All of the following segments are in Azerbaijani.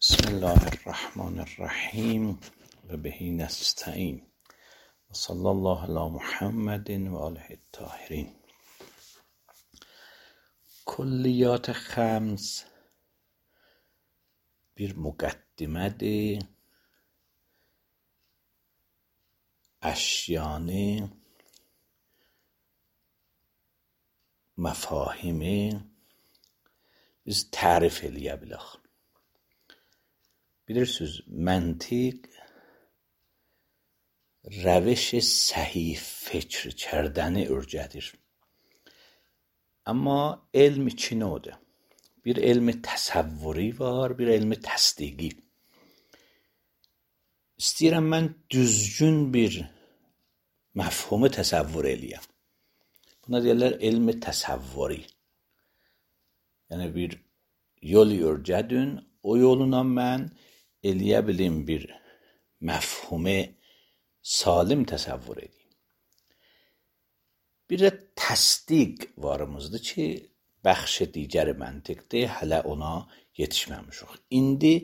بسم الله الرحمن الرحیم و به نستعین و صلی الله علی محمد و آله الطاهرین. Kulliyat خمس bir mukaddimedir, eşyanı, mefahimi biz tarif eləyə Bilirsiniz, məntiq روش صحیح فکر کردن ürcədir. Amma elm iki növdür. Bir elmi təsəvvuri var, bir elmi təsdiqi. İstəyirəm mən düzgün bir məfhumu təsəvvür eləyəm. Buna deyirlər elmi təsəvvuri. Yəni bir yol ürcədün, o yoluna mən eləyə bilim bir məfhumu salim təsəvvür edeyim. Bir də təsdiq varımızdır ki, bəxş digəri məntiqdir, hələ ona yetişməmişik. İndi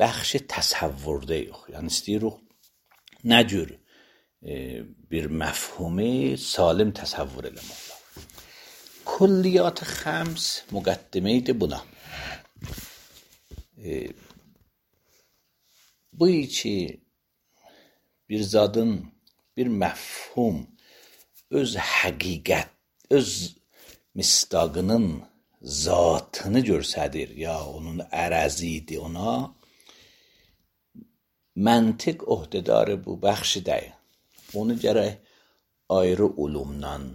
bəxş təsəvvürdəyik. Yəni istəyirik nə cür bir məfhumu salim təsəvvür eləmək olar. Kulliyat xəms müqəddimeydir buna. Bu ki bir zadın, bir məfhum öz həqiqət, öz misdaqının zatını görsədir, ya onun ərəzidir ona, məntiq öhdədarı bu bəxşi deyil. Onu gərək ayrı ulumdan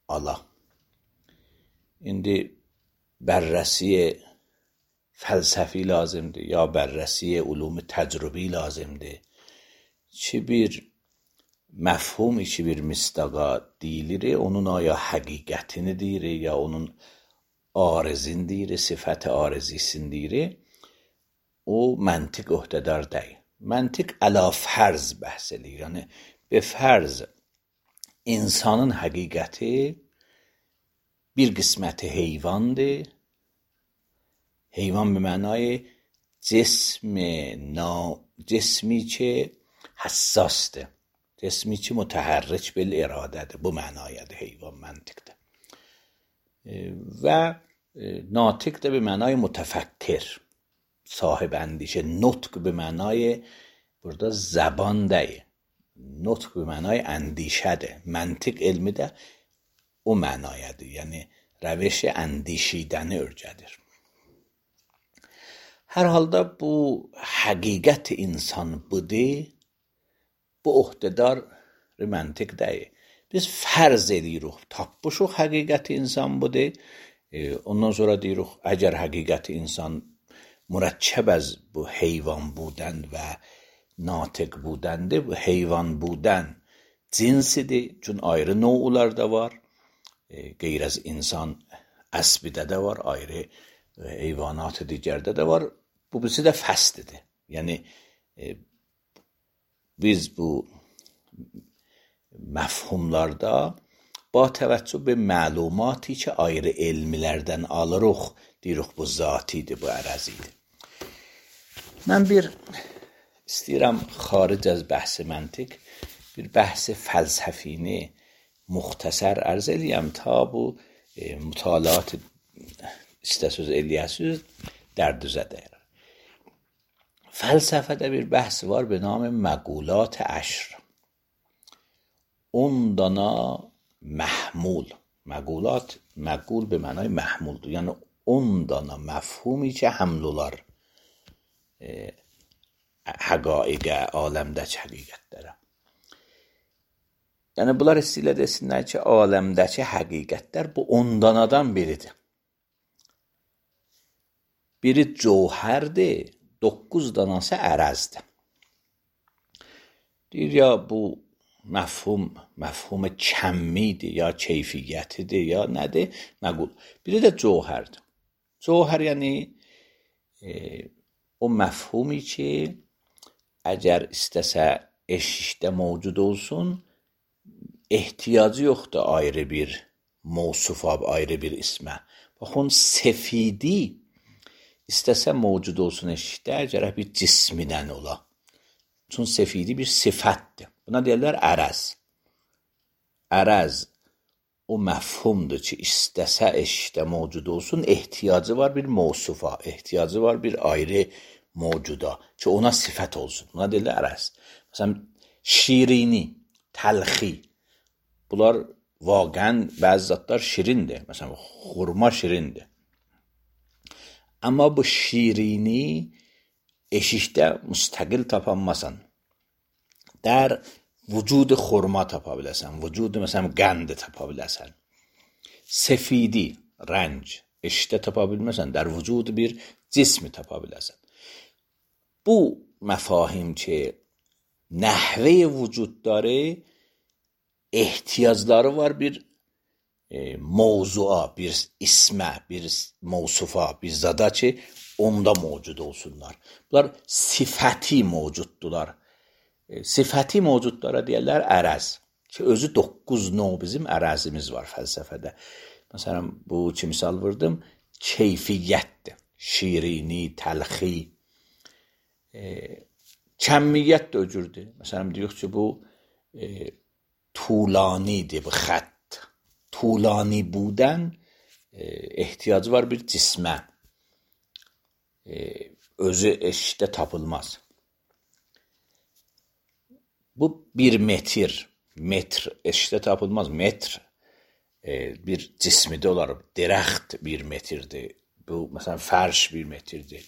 ala. İndi bərrəsi fəlsəfi lazımdır, ya bərrəsi ulum təcrübi lazımdır. Ki bir məfhum ki bir misdaqa deyilir, onun ya həqiqətini deyir, ya onun arizin deyir, sifət arizisin deyir, o məntiq öhdədar deyil. Məntiq əla fərz bəhs edir. Yəni, be fərz insanın həqiqəti bir qisməti heyvandır. Heyvan به معنای جسمی که حساسته، جسمی که متحرک بالاراده ده، bu mənayədir heyvan məntiqdə. Və natiq də به معنای متفکر، صاحب اندیشه. نطق به معنای burada زبان ده، نطق به معنای اندیشه ده. منطق علمی ده o mənayədir. Yəni روش اندیشیدن ürcədir. Hər halda bu həqiqət insan budur, bu öhdədar məntiq deyil. Biz fərz edirik, tapmışıq həqiqət insan budur. Ondan sonra deyirik, əgər həqiqət insan mürəkkəb az bu heyvan budən və natiq budəndir, bu heyvan budən cinsidir. Çün ayrı növlər də var. Qeyr az insan əsbidə də var, ayrı heyvanat digərdə də var. Bu birisi də fəslidir. Yəni biz bu məfhumlarda ba təvəccüh be məlumatı ki ayrı elmilərdən alırıq, deyirik bu zatidir, bu ərəzidir. Mən bir istəyirəm xaric az bəhs məntiq bir bəhs fəlsəfini muxtasar ərz eləyəm ta bu mütalaat istəsiz eləyəsiz dərdüzə dəyər. Fəlsəfədə bir bəhs var به نام مقولات عشر. 10 dana محمول. مقولات، مقول به معنای محمول. یعنی 10 dana mefhumi ki həml olar həqaiqə, aləmdəki həqiqətlərə. Yəni bunlar istəyirlər desinlər ki, aləmdəki həqiqətlər bu 10 danadan biridir. Biri cövhərdir, 9 danası ərəzdir. Deyir ya bu məfhum kəmmidir, ya keyfiyyətidir, ya nədir? Məqul. Biri də cövhərdir. Cövhər yəni o məfhumi ki əgər istəsə eşikdə mövcud olsun, ehtiyacı yoxdur ayrı bir mövsufa, ayrı bir ismə. Baxın, sefidi İstəsə mövcud olsun eşikdə, gərək bir cismidən ola. Çünki sefidi bir sifətdir. Buna deyirlər ərəz. Ərəz o məfhumdur ki, istəsə eşikdə mövcud olsun, ehtiyacı var bir mövsufa, ehtiyacı var bir ayrı mövcuda ki, ona sifət olsun. Buna deyirlər ərəz. Məsələn, şirini, təlxi, bunlar vaqən bəzi zatlar şirindir. Məsələn, xurma şirindir. Amma bu şirini eşikdə müstəqil tapanmasan. در وجود خرما tapa biləsən, vücud məsələn qəndi tapa biləsən. Sefidi, rənc, eşikdə tapa bilməsən, در vücud bir cismi tapa biləsən. Bu məfahim ki, nəhvə vücud dاره, ehtiyacları var bir mevzuğa, bir ismə, bir mevsufa, bir zada ki, onda mevcud olsunlar. Bunlar sifəti mevcuddular. Sifəti mevcudlara deyirlər ərəz. Ki, özü 9 növ bizim ərəzimiz var fəlsəfədə. Məsələn, bu ki, misal vurdum, keyfiyyətdir. Şirini, təlxi. Kəmiyyət də öcürdür. Məsələn, deyirik ki, bu طولانیdir, bu xətt. طولانی بودن ehtiyacı var bir cismə. Özü eşikdə tapılmaz. Bu bir metr. Metr eşikdə tapılmaz. Metr bir cismidə olar. Dərəxt bir metrdir. Bu, məsələn, fərş bir metrdir.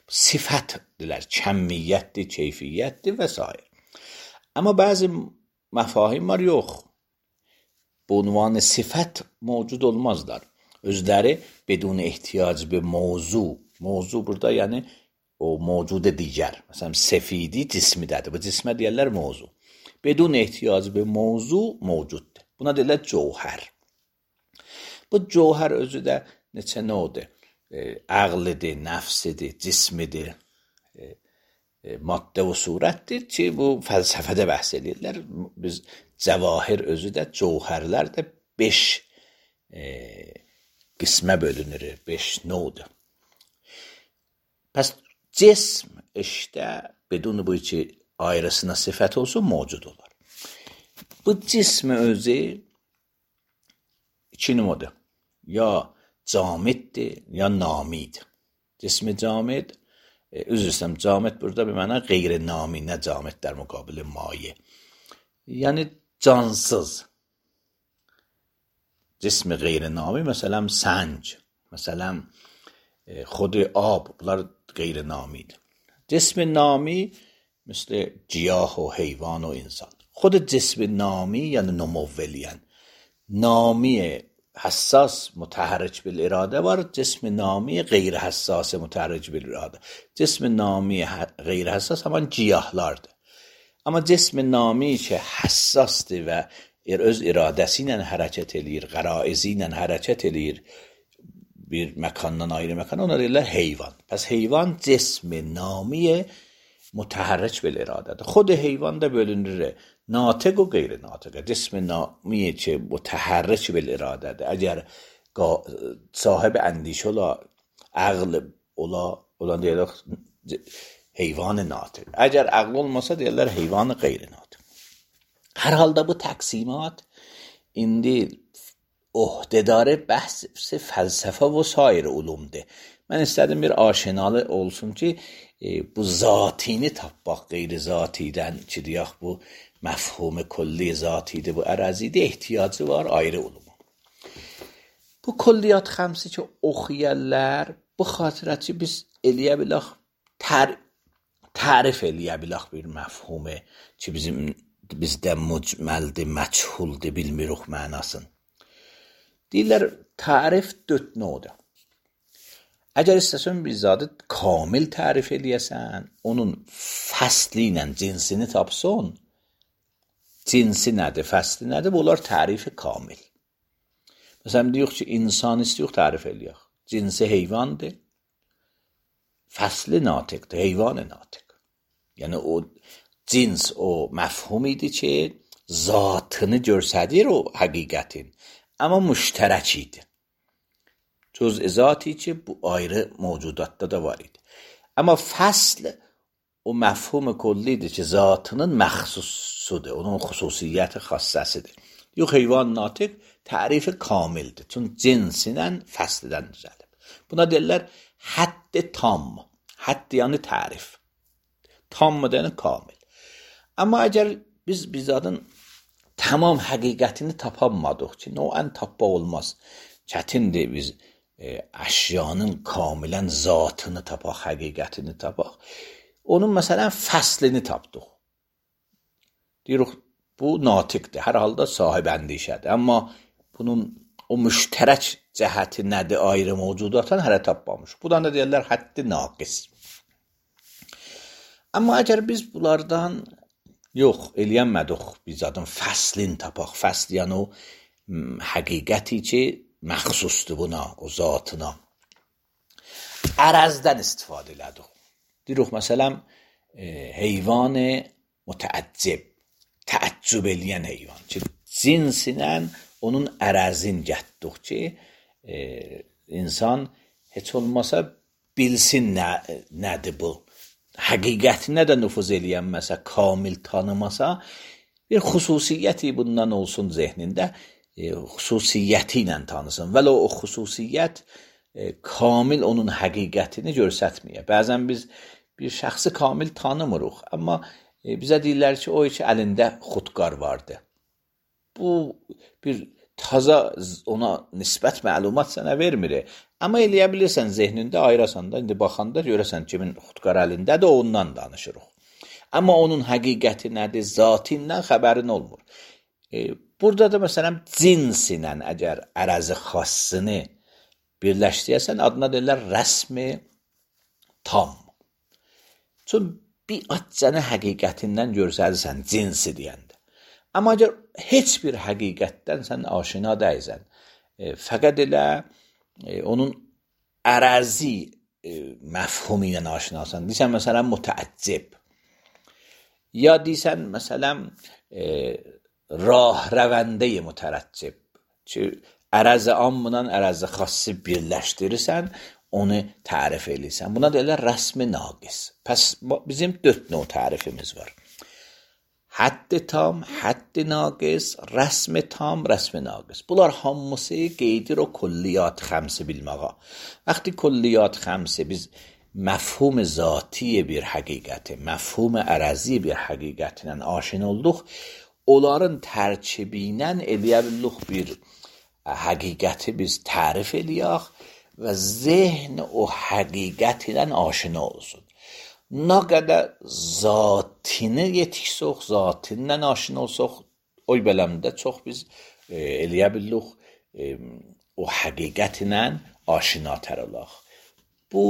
Sifətdirlər. Kəmiyyətdir, keyfiyyətdir və s. Amma bəzi məfahim var, yox. Bu عنوان صفت موجود olmazlar. Özləri بدون احتیاج به موضوع burada yəni o mevcud digər. Məsələn, sefidi cismidədir. Bu cismə deyirlər mevzu. بدون احتیاج به موضوع mevcuddur. Buna deyirlər cövhər. Bu cövhər özü də neçə növdir? Ağlıdır, nəfsidir, cismidir, maddə və surətdir ki, bu fəlsəfədə bəhs edirlər. Biz cəvahir özü də, cövhərlər də 5 qismə bölünür, 5 növdür. Pəs cism eşdə, bedun bu ki, ayrısına sifət olsun, mövcud olar. Bu cism özü 2 növdür. Ya camiddir, ya namiddir. Cismi camid, üzr istəyirəm, camid burada bir məna qeyri-nami, nə camid در مقابل maye. Yəni cansız. Cismi qeyri-nami, məsələn, sənc, məsələn, خود آب, bunlar qeyri-namidir. Cismi nami, مثل گیاه و حیوان و انسان. خود جسم نامی یعنی نمولیان. نامی حساس متحرک بالاراده var. جسم نامی غیر حساس متحرک بالاراده. جسم نامی غیر حساس همان گیاهlardır. Amma cism nami ki həssasdır və öz iradəsi ilə hərəkət eləyir, qəraizi ilə hərəkət eləyir, bir məkandan ayrı məkana, ona deyirlər heyvan. Pəs heyvan cism namiyə متحرک بالاراده‌dır. خود حیوان da bölünür ناطق و غیر ناطق. جسم نامیه که متحرک بالاراده‌dır. اگر صاحب اندیشه ola, عقل ola deyirlər heyvan natiq. Əgər aql olmasa deyirlər heyvan qeyri natiq. Hər halda bu təqsimat indi ohdədarı bəhs fəlsəfə və sair ulumdur. Mən istədim bir aşinalı olsun ki, bu zatini tapmaq qeyri zatidən ki, deyək bu məfhum külli zatidir, bu ərəzidə ehtiyacı var ayrı uluma. Bu külliyat xəmsi ki, oxuyarlar, bu xatirət ki, biz eləyə bilək, tərif eləyə bilək bir məfhumu ki, bizdə mücməldir, məchuldir, bilmirik mənasını. Deyirlər, tərif 4 növdür. Əgər istəsən bir zadı kamil tərif eləyəsən, onun fəsli ilə cinsini tapsın, cinsi nədir, fəsli nədir, bunlar tərifi kamil. Məsələn, deyək ki, insan istəyək tərif eləyək. Cinsi heyvandır, fəsli natiqdir, heyvanı natiq. Yəni, o cins, o məfhumidir ki, zatını görsədir o həqiqətin, amma müştərək idi. Cüz'izati ki bu ayrı mevcudatta da var idi. Ama fasl o mefhum kullidir ki zatının məxsusudur, onun xüsusiyyəti xassəsidir. Yox, heyvan natiq tərifi kamildir. Çünki cinsinlə fəslidən düzəlib. Buna deyirlər hədd-i tam. Hədd yəni tərif. Tam yəni kamil. Amma əgər biz bizadın tamam həqiqətini tapamadıq ki, noən tapmaq olmaz. Çətindir biz əşyanın kamilən zatını tapaq, həqiqətini tapaq. Onun məsələn fəslini tapdıq. Deyirik, bu natiqdir, hər halda sahib əndişədir. Amma bunun o müştərək cəhəti nədir, ayrı mövcudatdan hələ tapmamış. Budan da deyirlər həddi naqis. Amma əgər biz bunlardan yox, eləyənmədik, biz adın fəslini tapaq. Fəsl yəni o həqiqəti ki, məxsusdur buna, o zatına. Ərəzdən istifadə elədik. Deyirik, məsələn, heyvan mütəəccib, təəccüb eləyən heyvan ki, cinsinlə onun ərəzin gətdik ki, insan heç olmasa bilsin nədir bu. Həqiqətinə də nüfuz eləyənməsə, kamil tanımasa, bir xüsusiyyəti bundan olsun zehnində, xüsusiyyəti ilə tanısın. Vələ o xüsusiyyət kamil onun həqiqətini görsətməyə. Bəzən biz bir şəxsi kamil tanımırıq, amma bizə deyirlər ki, o iki əlində xudqar vardı. Bu bir taza ona nisbət məlumat sənə vermir. Amma eləyə bilirsən zehnində ayırasan da, indi baxanda görəsən kimin xudqar əlindədir, ondan danışırıq. Amma onun həqiqəti nədir, zatindən xəbərin olmur. Burada da məsələn cinsinlə əgər ərəzi xassını birləşdirəsən, adına deyirlər rəsmi tam. Çünki bir açcanı həqiqətindən görsəlirsən cinsi deyəndə. Amma əgər heç bir həqiqətdən sən aşina deyilsən, fəqət elə onun ərəzi məfhumu ilə aşinasan. Deysən, məsələn, mütəəccib. Ya deysən, məsələn, rah-rəvəndə-i mütərəccib. Ki, ərəzi amla ərəzi xassi birləşdirirsən, onu tərif eləyirsən. Buna deyirlər rəsmi naqis. Pəs bizim 4 növ tərifimiz var. Hədd-i tam, hədd-i naqis, rəsmi tam, rəsmi naqis. Bunlar hamısı qeydir o kulliyat xəmsi bilməğa. Vəqti kulliyat xəmsi biz məfhum zati bir həqiqəti, məfhum ərəzi bir həqiqətinə aşina olduq, onların tərkibinə eləyə bildik bir həqiqəti biz tərif eləyək və zehn o həqiqət ilə aşina olsun. Nə qədər zatini yetişsək, zatinlə aşina olsaq, oy beləmdə çox biz eləyə bildik o həqiqət ilə aşinatər olaq. Bu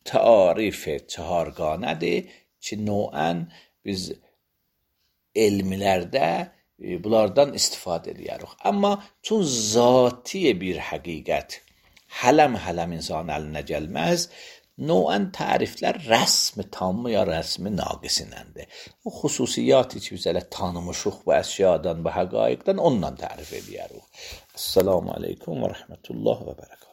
tarif çaharqanədir ki, noən biz elmlərdə bunlardan istifadə edirik. Amma çün zati bir həqiqət hələm insan əlinə gəlməz, noən təriflər rəsmi tamı ya rəsmi naqisinəndir. O xüsusiyyatı ki, biz elə tanımışıq bu əşyadan, bu həqaiqdən ondan tərif edirik. Esselamu aleykum və rəhmətullah və bərəkət.